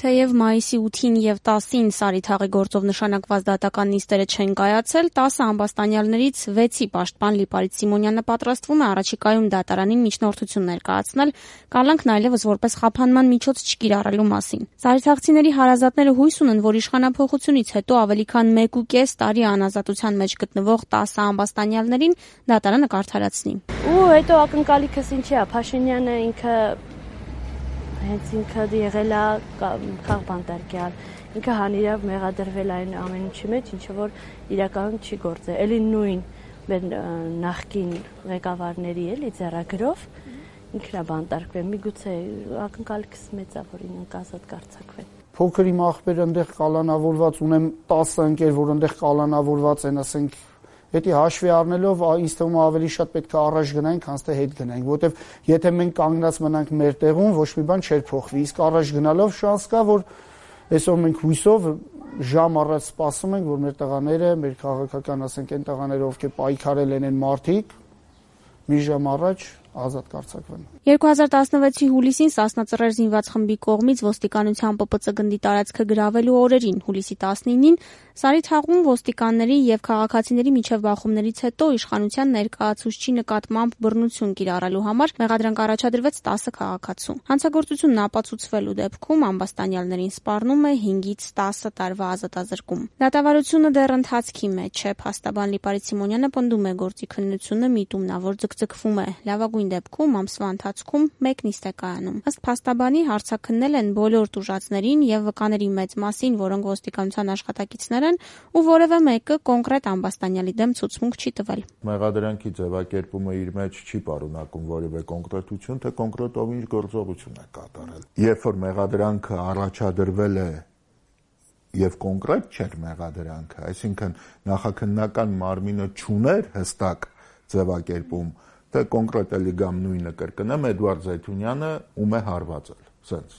Թեև մայիսի 8-ին եւ 10-ին Սարիթաղի գործով նշանակված դատական նիստերը չեն կայացել, 10 ամբաստանյալներից 6-ի պաշտպան Լիպարիտ Սիմոնյանը պատրաստվում է առաջիկայում դատարանին միջնորդություն ներկայացնել, կալանքն այլևս որպես խափանման միջոց չկիրառելու մասին։ Սարիթաղցիների հարազատները հույս ունեն, որ իշխանափոխությունից հետո ավելի քան 1.5 տարի անազատության մեջ գտնվող 10 ամբաստանյալներին դատարանը կարդարացնի։ Ու հետո ակնկալիքս ինչի է, Փաշինյանը հենց ինքը եղել է քաղբանտարկյալ, ինքը հանիրավ մեղադրվել այն ամեն ինչի մեջ, ինչը որ իրականում չի գործել, էլի նույն մեր նախկին ղեկավարների էլի ձեռագրով ինքն է բանտարկվել, միգուցե ակնկալիքս մեծ է, որ ինքը ազատ կարձակվեն։ Փոքր իմ աղբերը այնտեղ կալանավորված, ունեմ 10 ընկեր, որ այնտեղ կալանավորված են, ասենք Հետի հաշվի առնելով ինձ թվում է ավելի շատ պետք է առաջ գնանք, քան թե հետ գնանք, որովհետև եթե մենք կանգնած մնանք մեր տեղում, ոչ մի բան չէր փոխվի, իսկ առաջ գնալով շանս կա, որ այսօր մենք հույսով ժամ առաջ սպասում ենք, որ մեր տղաները, մեր քաղաքական, ասենք, այն տղաները, ովքեր պայքարել են մարդիկ, մի ժամ առաջ ազատ կարձակվեն։ 2016-ի հուլիսին Սասնա Ծռեր զինված խմբի կողմից ոստիկանության ՊՊՑ գնդի տարածքը գրավելու օրերին, հուլիսի 19-ին, Սարիթաղում ոստիկանների եւ քաղաքացիների միջև բախումներից հետո իշխանության ներկայացուցչի նկատմամբ բռնություն կիրառելու համար մեղադրանք առաջադրվեց 10 քաղաքացու։ Հանցագործությունն ապացուցվելու դեպքում ամբաստանյալներին սպառնում է 5-ից 10 տարվա ազատազրկում։ Դատավարությունը դեռ ընթացքի մեջ է, փաստաբան Լիպարիտ Սիմոնյանը պնդում է գործի քննությունը միտումնավոր ձգձգվում է։ Լավագույն դեպքում ամսվա ընթացքում 1 նիստ է կայանում։ Ըստ փաստաբանի հարցաքննել են բոլոր տուժածներին եւ վկաների մեծ մասին, որոնք ոստիկանության աշխատակիցներ են ու որևէ մեկը կոնկրետ ամբաստանյալի դեմ ցուցմունք չի տվել։ Մեղադրանքի ձևակերպումը իր մեջ չի պարունակում որևէ կոնկրետություն, թե կոնկրետով ինչ գործողություն է կատարել։ Երբ որ մեղադրանքը առաջադրվել է եւ կոնկրետ չէր մեղադրանքը, այսինքն նախաքննական մարմինը չուներ հստակ ձևակերպում, թե կոնկրետ էլի գամ նույնը կրկնեմ, Էդուարդ Զայթունյանը ում է հարվածել, սենց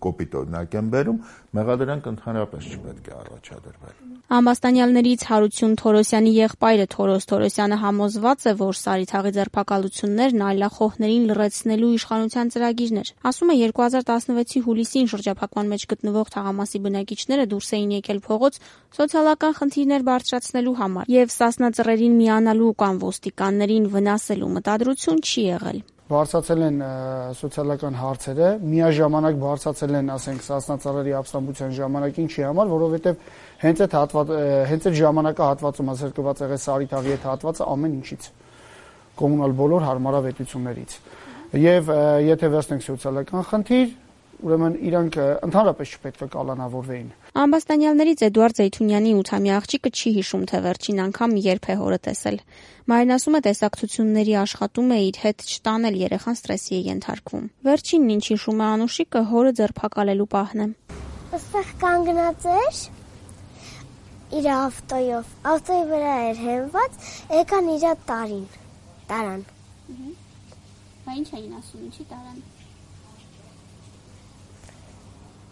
կոպիտ օրինակ եմ բերում, մեղադրանք ընդհանրապես չպետք է առաջադրվել։ Ամբաստանյալներից Հարություն Թորոսյանի եղբայրը Թորոս Թորոսյանը համոզված է, որ Սարիթաղի ձերբակալություններն այլախոհներին լռեցնելու իշխանության ծրագիրն էր։ Ասում է 2016-ի հուլիսին շրջափակման մեջ գտնվող թաղամասի բնակիչները դուրս էին եկել փողոց սոցիալական խնդիրներ բարձրացնելու համար եւ Սասնա Ծռերին միանալու կամ ոստիկաններին վնասելու մտադրություն չի եղել։ Բարձրացել են սոցիալական հարցերը, միաժամանակ բարձրացել են, ասենք, Սասնա Ծռերի ապստամբության ժամանակ ինչի համար, որովհետև հենց այդ ժամանակահատվածում զրկված եղել Սարիթաղի այդ հատվածը ամեն ինչից, կոմունալ բոլոր հարմարավետություններից։ Եվ եթե վերցնենք սոցիալական խնդիր, ուրեմն իրանք ընդհանրապես չպետք է կալանավորվեին։ Ամբաստանյալներից Էդուարդ Զայթունյանի 8-ամյա աղջիկը չի հիշում, թե վերջին անգամ երբ է հորը տեսել։ Մայրն ասում է, տեսակցությունների աշխատում է իր հետ չտանել, երեխան ստրեսի է ենթարկվում։ Վերջինն ինչ հիշում է Անուշիկը, հորը ձերբակալելու պահն է։ Այստեղ կանգնած էր իր ավտոյով, ավտոյի վրա էր հենված, եկան իր տարան։ Բա ինչ էին ասում, ինչի տարան։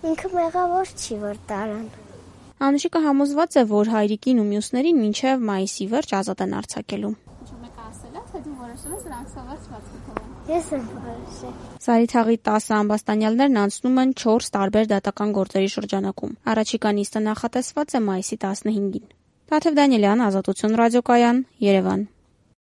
Ինքը մեղավոր չի, որ տարան։ Անուշիկը համոզված է, որ հայրիկին ու մյուսներին մինչև մայիսի վերջ ազատ են արձակելու։ Ինչ մեկը ասել է, թե դու որոշել ես նրանց վերջված կթողել։ Ես եմ որոշել։ Սարիթաղի 10 ամբաստանյալներն անցնում են 4 տարբեր դատական գործերի շրջանակում։ Առաջիկա նիստը նախատեսված է մայիսի 15-ին։ Տաթև Դանիելյան, Ազատություն ռադիոկայան, Երևան։